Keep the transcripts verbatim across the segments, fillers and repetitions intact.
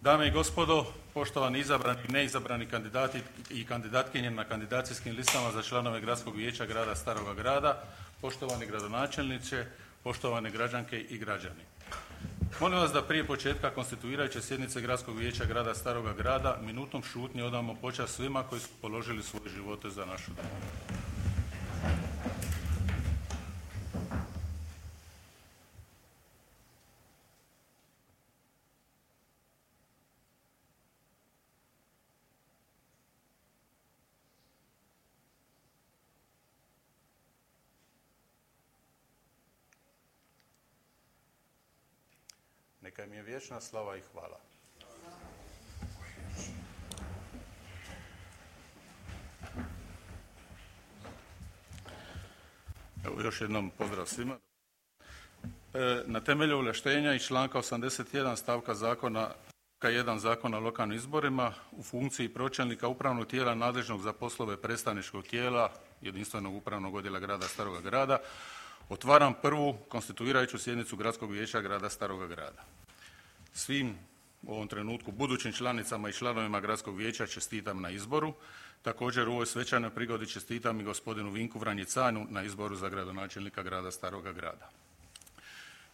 Dame i gospodo, poštovani izabrani i neizabrani kandidati i kandidatkinje na kandidacijskim listama za članove Gradskog vijeća grada Staroga Grada, poštovani gradonačelniče, poštovane građanke i građani. Molim vas da prije početka konstituirajuće sjednice Gradskog vijeća grada Staroga Grada minutom šutnje odamo počast svima koji su položili svoje živote za našu domovinu. Neka im je vječna slava i hvala. Evo još jednom pozdrav svima. E, na temelju ovlaštenja iz članka osamdeset jedan stavka zakona jedan Zakona o lokalnim izborima u funkciji pročelnika upravnog tijela nadležnog za poslove predstavničkog tijela jedinstvenog upravnog odjela grada Staroga Grada otvaram prvu konstituirajuću sjednicu Gradskog vijeća grada Staroga Grada. Svim u ovom trenutku budućim članicama i članovima Gradskog vijeća čestitam na izboru. Također u ovoj svečanoj prigodi čestitam i gospodinu Vinku Vranjicanu na izboru za gradonačelnika grada Staroga Grada.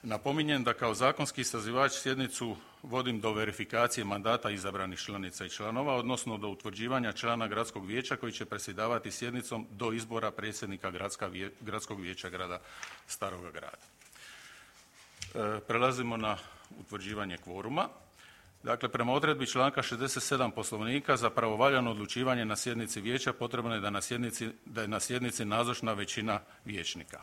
Napominjem da kao zakonski sazivač sjednicu vodim do verifikacije mandata izabranih članica i članova, odnosno do utvrđivanja člana Gradskog vijeća koji će predsjedavati sjednicom do izbora predsjednika Gradskog vijeća grada Staroga Grada. E, prelazimo na utvrđivanje kvoruma. Dakle, prema odredbi članka šezdeset sedam Poslovnika za pravovaljano odlučivanje na sjednici vijeća potrebno je da, na sjednici, da je na sjednici nazočna većina vijećnika.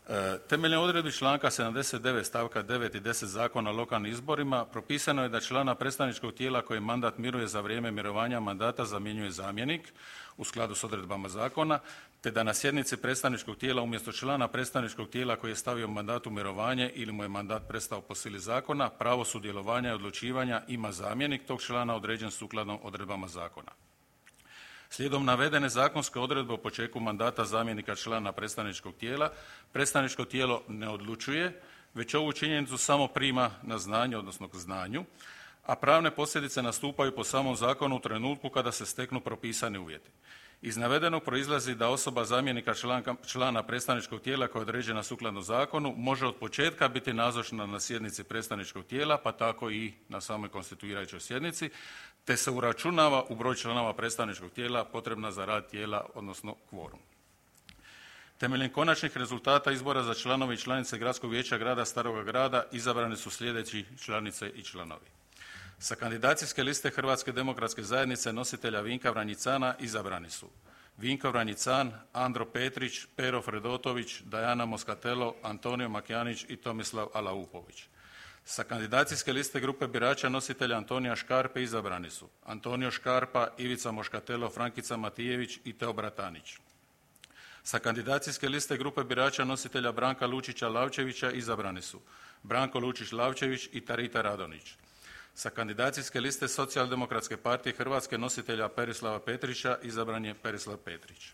E, temeljem odredbi članka sedamdeset devet stavka devet i deset Zakona o lokalnim izborima propisano je da člana predstavničkog tijela koji mandat miruje za vrijeme mirovanja mandata zamjenjuje zamjenik u skladu s odredbama zakona, te da na sjednici predstavničkog tijela umjesto člana predstavničkog tijela koji je stavio mandat u mirovanje ili mu je mandat prestao po sili zakona, pravo sudjelovanja i odlučivanja ima zamjenik tog člana određen sukladno odredbama zakona. Slijedom navedene zakonske odredbe o početku mandata zamjenika člana predstavničkog tijela, predstavničko tijelo ne odlučuje, već ovu činjenicu samo prima na znanje, odnosno k znanju, a pravne posljedice nastupaju po samom zakonu u trenutku kada se steknu propisani uvjeti. Iz navedenog proizlazi da osoba zamjenika člana, člana predstavničkog tijela koja je određena sukladno zakonu može od početka biti nazočna na sjednici predstavničkog tijela, pa tako i na samoj konstituirajućoj sjednici, te se uračunava u broj članova predstavničkog tijela potrebna za rad tijela, odnosno kvorum. Temeljem konačnih rezultata izbora za članove i članice Gradskog vijeća grada Staroga Grada izabrani su sljedeći članice i članovi. Sa kandidacijske liste Hrvatske demokratske zajednice nositelja Vinka Vranjicana izabrani su Vinko Vranjican, Andro Petrić, Pero Fredotović, Dajana Moskatelo, Antonio Makjanić i Tomislav Alaupović. Sa kandidacijske liste grupe birača nositelja Antonija Škarpe izabrani su Antonio Škarpa, Ivica Moškatelo, Frankica Matijević i Teo Bratanić. Sa kandidacijske liste grupe birača nositelja Branka Lučića Lavčevića izabrani su Branko Lučić Lavčević i Tarita Radonić. Sa kandidacijske liste Socijaldemokratske partije Hrvatske nositelja Perislava Petrića izabran je Perislav Petrić.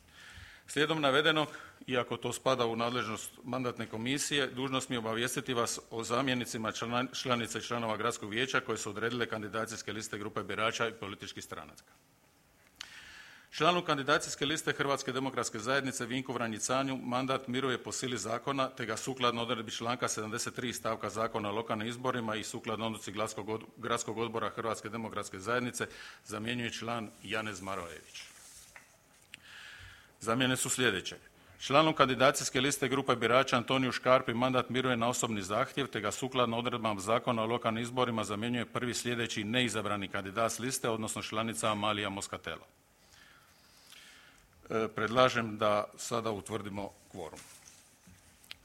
Slijedom navedenog, iako to spada u nadležnost mandatne komisije, dužnost mi je obavijestiti vas o zamjenicima članica i članova Gradskog vijeća koje su odredile kandidacijske liste grupe birača i političkih stranaca. Članu kandidacijske liste Hrvatske demokratske zajednice Vinku Vranjicanu mandat miruje po sili zakona, te ga sukladno odredbi članka sedamdeset tri stavka Zakona o lokalnim izborima i sukladno odluci Gradskog odbora Hrvatske demokratske zajednice zamjenjuje član Janez Marojević. Zamjene su sljedeće. Članu kandidacijske liste grupe birača Antoniju Škarpi mandat miruje na osobni zahtjev, te ga sukladno odredbama Zakona o lokalnim izborima zamjenjuje prvi sljedeći neizabrani kandidat s liste, odnosno članica Amalija Moskatelo. E, predlažem da sada utvrdimo kvorum.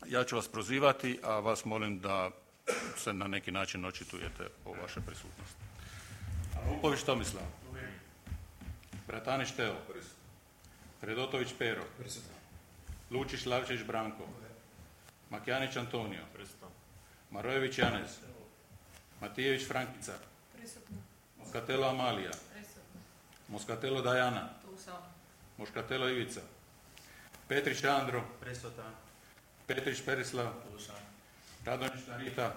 Ja ću vas prozivati, a vas molim da se na neki način očitujete o vašoj prisutnosti. Alaupović Tomislav. Bratanić Teo. Fredotović Pero. Lučić Lavčević Branko. Makjanić Antonio. Marojević Janez. Matijević Frankica. Moskatelo Amalija. Moskatelo Dajana. Moškatelo Ivica. Petrić Andro. Petrić Perislav. Radonjić Tarita.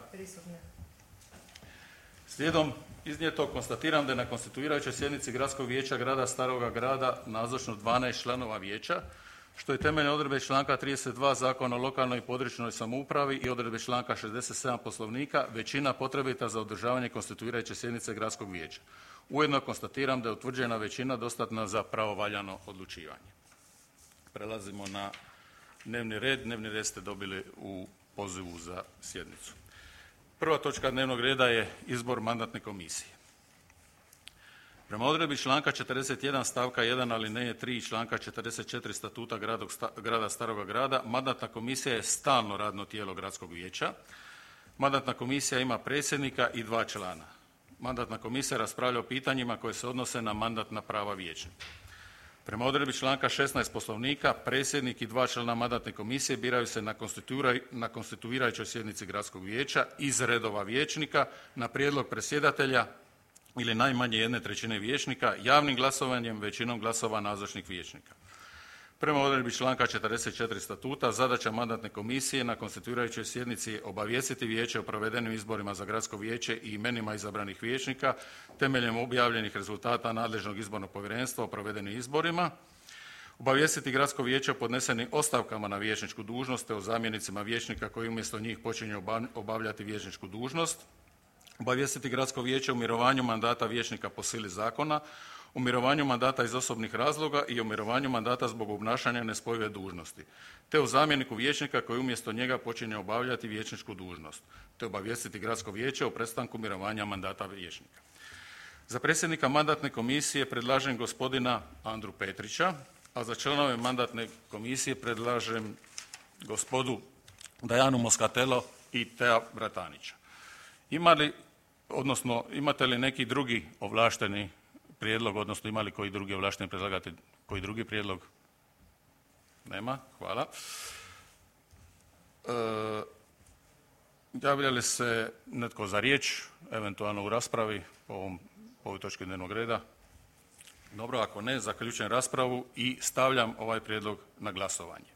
Slijedom iznijetog konstatiram da je na konstituirajućoj sjednici Gradskog vijeća grada Staroga Grada nazočno dvanaest članova vijeća, što je temeljem odredbe članka trideset dva Zakona o lokalnoj i područnoj samoupravi i odredbe članka šezdeset sedam Poslovnika većina potrebita za održavanje konstituirajuće sjednice Gradskog vijeća. Ujedno konstatiram da je utvrđena većina dostatna za pravovaljano odlučivanje. Prelazimo na dnevni red. Dnevni red ste dobili u pozivu za sjednicu. Prva točka dnevnog reda je izbor mandatne komisije. Prema odredbi članka četrdeset jedan stavka jedan alineje tri i članka četrdeset četiri Statuta grada Staroga Grada, mandatna komisija je stalno radno tijelo Gradskog vijeća. Mandatna komisija ima predsjednika i dva člana. Mandatna komisija raspravlja o pitanjima koje se odnose na mandatna prava vijećnika. Prema odredbi članka šesnaest Poslovnika, predsjednik i dva člana mandatne komisije biraju se na, na konstituirajućoj sjednici Gradskog vijeća iz redova vijećnika na prijedlog predsjedatelja ili najmanje jedne trećine vijećnika javnim glasovanjem većinom glasova nazočnih vijećnika. Prema odredbi članka četrdeset četiri Statuta, zadaća mandatne komisije na konstituirajućoj sjednici je obavijestiti vijeće o provedenim izborima za Gradsko vijeće i imenima izabranih vijećnika temeljem objavljenih rezultata nadležnog izbornog povjerenstva o provedenim izborima, obavijestiti Gradsko vijeće o podnesenim ostavkama na vijećničku dužnost te o zamjenicima vijećnika koji umjesto njih počinju obavljati vijećničku dužnost, obavijestiti Gradsko vijeće o mirovanju mandata vijećnika po sili zakona, o mirovanju mandata iz osobnih razloga i o mirovanju mandata zbog obnašanja nespojive dužnosti, te o zamjeniku vijećnika koji umjesto njega počinje obavljati vijećničku dužnost, te obavijestiti Gradsko vijeće o prestanku mirovanja mandata vijećnika. Za predsjednika mandatne komisije predlažem gospodina Andru Petrića, a za članove mandatne komisije predlažem gospodu Dajanu Moskatelo i Tea Bratanića. Ima li, odnosno imate li neki drugi ovlašteni prijedlog, odnosno ima li koji drugi ovlašteni predlagatelj, koji drugi prijedlog? Nema, hvala. E, javlja li se netko za riječ, eventualno u raspravi po, ovom, po ovoj točki dnevnog reda? Dobro, ako ne, zaključujem raspravu i stavljam ovaj prijedlog na glasovanje.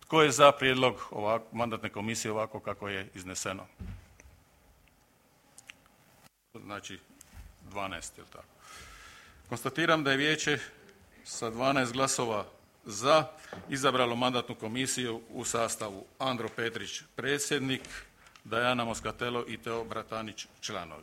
Tko je za prijedlog ovak, mandatne komisije ovako kako je izneseno? Znači dvanaest, je li tako? Konstatiram da je vijeće sa dvanaest glasova za izabralo mandatnu komisiju u sastavu Andro Petrić predsjednik, Dajana Moskatelo i Teo Bratanić članovi.